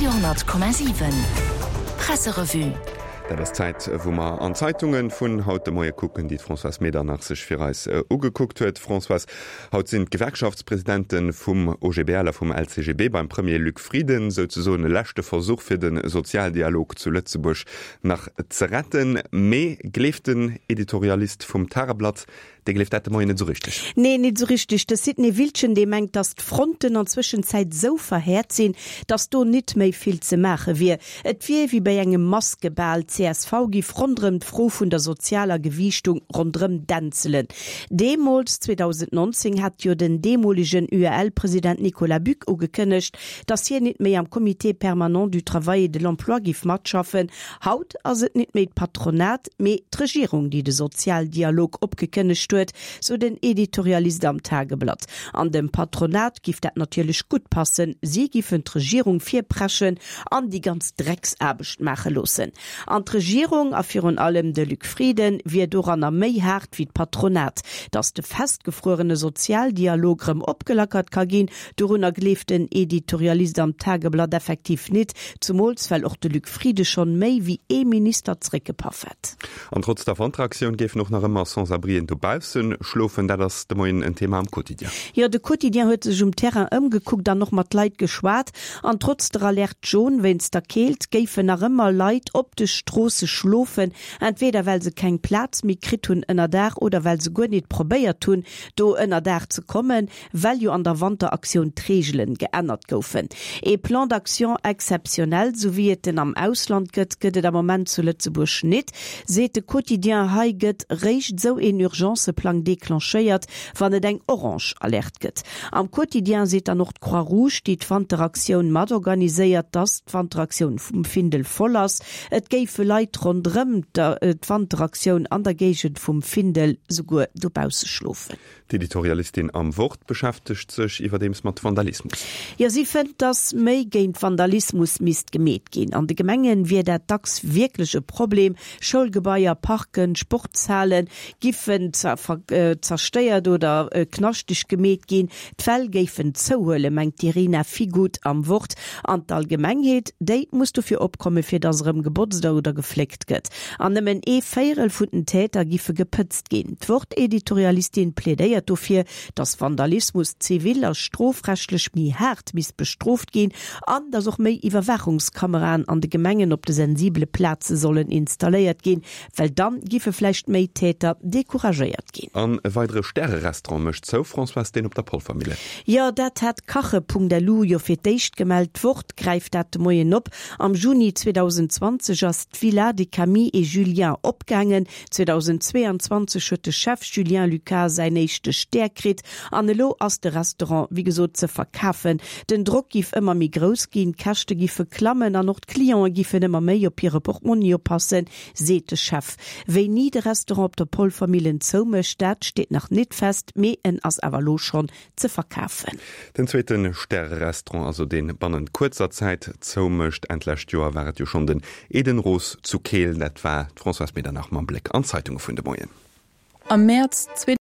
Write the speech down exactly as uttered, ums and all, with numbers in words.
Radio honnert Komma siwen Presserevue. Dat ass d'Zäit, wou mer an d'Zeitunge vun haut de Moie kucken, déi d'Françoise Medernach sech fir eis ugekuckt huet. Françoise, haut sinn d'Gewerkschaftspresidente vum O G B L a vum L C G B beim Premier Luc Frieden, souzesoen e leschte Versuch fir de Sozialdialog zu Lëtzebuerg nach ze retten. Mee gleeft den Editorialist vum Tageblatt, dee gleeft dat de Moien net esou richteg. Nee, net esou richteg. De Sidney Wiltgen, dee mengt, datt d'Fronten an Zwëschenzäit esou verhäert sinn, datt do nit méi vill ze maache wier. Et wier wéi bei engem Maskebal, d'C S V giff ronderëm d'Fro vun der sozialer Gewiichtung ronderëm dänzelen. Deemools, zweedausendnonzéng, hat jo den deemolegen U E L-President Nicolas Buck ugekënnegt, datt hien nit méi am Comité permanent du travail et de l'emploi giff matschaffen. Haut ass et nit méi d'Patronat, mee d'Regierung, déi de Sozialdialog opgekënnegt huet, sou den Editorialist am Tageblatt. An dem Patronat giff dat natierlech gutt passen, si giffen d'Regierung virpreschen an déi ganz Drecksaarbecht maache loossen. An d'Regierung, a virun allem de Luc Frieden, wier doranner méi haart wéi d'Patronat. Datt de festgefruerene Sozialdialog rëm opgelackert ka ginn, dorunner gleeft den Editorialist am Tageblatt effektiv nit, zumools well och de Luc Frieden schonn méi wéi ee Minister zréckgepaff hätt. An trotz der Wanteraktioun géifen och nach ëmmer Sans-abrien dobausse schlofen, dat ass de Moien en Thema am Quotidien. Jo, de Quotidien huet sech um Terrain ëmgekuckt an och mat Leit geschwat. An trotz der Alerte jaune wéinst der Keelt géifen nach ëmmer Leit op de Stroosse schlofen, entweder well se keng Plaz méi kritt hunn ënner Daach oder well se guer nit probéiert hunn, do ënner Daach ze kommen, well jo an der Wanteraktioun d'Reegelen geännert goufen. E Plan d'action exceptionnel, sou wéi et en am Ausland gëtt, gëtt et am Moment zu Lëtzebuerg nit, seet de Quotidien. Hei gëtt réischt sou een Urgenceplang declenchéiert, wann et eng orange Alerte gëtt. Am Quotidien seet dann och d'Croix-Rouge, déi d'Wanteraktioun matorganiséiert, dass d'Wanteraktioun vum Findel voll ass. Et géife Leit ronderëm d'Wanteraktioun an der Géigend vum Findel souguer dobausse schlofen. D'Editorialistin am Wort beschäftegt sech iwwerdeems mat Vandalismus. Jo, si fënnt, dass méi géint Vandalismus misst gemeet ginn. An de Gemengen wier dat dacks wierklech e Problem. Schoulgebaier, Parken, Sportshale giffen zerstéiert oder knaschteg gemeet ginn. D'Fäll géifen zouhuelen, mengt d'Irina Figut am Wort. An d'Allgemengheet, déi muss dofir opkomme fir dass erëm gebotzt oder gefléckt gëtt. An nëmmen ee Véierel vun den Täter giffe gepëtzt ginn. D'Wort-Editorialistin plädéiert dofir, dass Vandalismus zivil a strofrechtlech méi haart misst bestrooft ginn an dass och méi Iwwerwaachungskameraen an de Gemengen op de sensibele Plaze sollen installéiert ginn, well dann giffe vläicht méi Täter decouragéiert ginn. An e weidere Stärerestaurant mécht zou, Françoise, deen op der Polvermille. Jo, dat hat Kache Punkt L U jo fir d'éischt gemellt. D'Wort gräift dat de Moien op. Am Juni zweedausendenzwanzeg ass d'Villa de Camille et Julien opgaangen. zweedausendzweeanzwanzeg huet de Chef Julien Lucas säin éischte Stär kritt an elo ass de Restaurant wéi gesot ze verkafen. Den Drock giff ëmmer méi grouss ginn, d'Käschte giffe klammen an och d'Cliente giffen ëmmer méi op hire Portmonni oppassen, seet de Chef. Wéini de Restaurant op der Polvermillen zoumécht, dat steet nach net fest, mee en ass awer elo schonn ze verkafen. Den zweete Stärerestaurant, also dee bannent kuerzer Zäit zoumécht. Enn d'lescht Joer war et jo schonn den Eden Rose zu Keel. Dat war d'Françoise Medernach mam Bléck an d'Zeitunge vun de Moien. Am Mäerz